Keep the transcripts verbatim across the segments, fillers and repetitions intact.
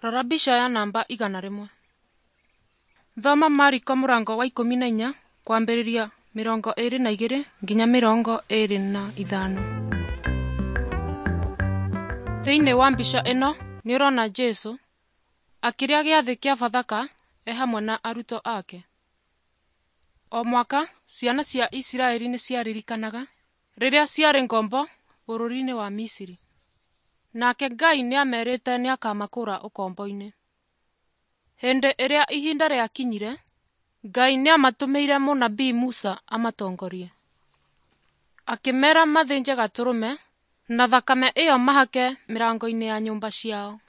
Rora mbica ya namba igana rĩmwe. Thoma Mariko mũrango wa ikũmi na inya kwambĩrĩria mĩrongo ĩĩrĩ na igĩrĩ nginya mĩrongo ĩĩrĩ na ithano. Thĩinĩ wa mbica ĩno nĩũrona Jesũ akĩrĩa gĩathĩ kĩa Bathaka e hamwe na arutwo ake. O mwaka ciana cia Isiraeli nĩciaririkanaga rĩrĩa ciarĩ ngombo bũrũri-inĩ wa Misiri. Nake Ngai nĩamerĩte nĩakamakũũra ũkombo-inĩ. Hĩndĩ ĩrĩa ihinda rĩakinyire, Ngai nĩamatũmĩire mũnabii Musa amatongorie. Akĩmeera mathĩnje gatũrũme na thakame ĩyo mahake mĩrango-inĩ ya nyũmba ciao.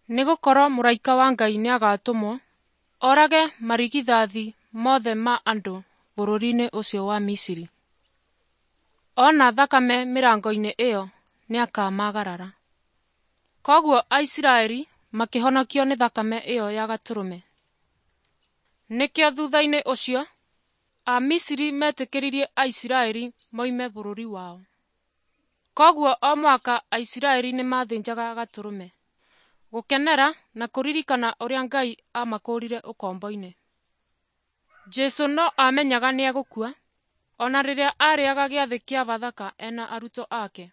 Nĩgũkorwo mũraika wa Ngai nĩagatũmwo orage marigithathi mothe ma andũ bũrũri-inĩ ũcio wa Misiri. Ona thakame mĩrango-inĩ ĩyo nĩakamagarara. Koguo Aisiraeli makĩhonokio nĩ thakame ĩyo ya gatũrũme. Nĩkĩo thutha-inĩ ũcio Amisiri metĩkĩririe Aisiraeli moime bũrũri wao. Koguo o mwaka Aisiraeli nĩmathĩnjaga gatũrũme gũkenera na kũririkana ũrĩa Ngai amakũũrire ũkombo-inĩ. Jesũ no amenyaga nĩegũkua ona rĩrĩa arĩaga gĩathĩ kĩa Bathaka ena arutwo ake.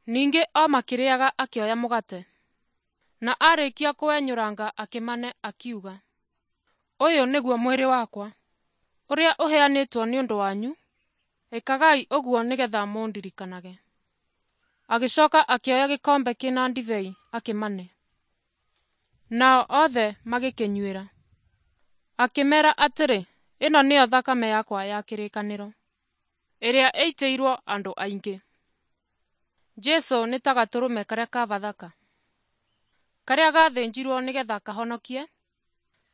Ningĩ o makĩrĩaga akĩoya mũgate, na arĩkia kũwenyũranga akĩmane akiuga, ũyũ nĩguo mwĩrĩ wakwa ũrĩa ũheanĩtwo nĩ ũndũ wanyu, ĩkagai ũguo nĩgetha mũndirikanage. Agĩcoka akĩoya gĩkombe kĩna ndibei akĩmane, nao othe magĩkĩnyuĩra. Akĩmeera atĩrĩ, ĩno nĩyo thakame yakwa ya kĩrĩkanĩro, ĩrĩa ĩitĩirwo andũ aingĩ. Jesũ nĩ ta gatũrũme karĩa ka Bathaka, karĩa gathĩnjirwo nĩgetha kahonokie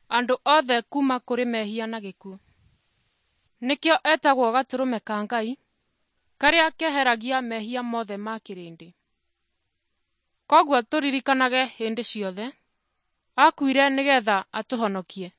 andũ othe kuma kũrĩ mehia na gĩkuũ. Nĩkĩo etagwo gatũrũme ka Ngai, karĩa keheragia mehia mothe ma kĩrĩndĩ. Koguo tũririkanage hĩndĩ ciothe, akuire nĩgetha atũhonokie.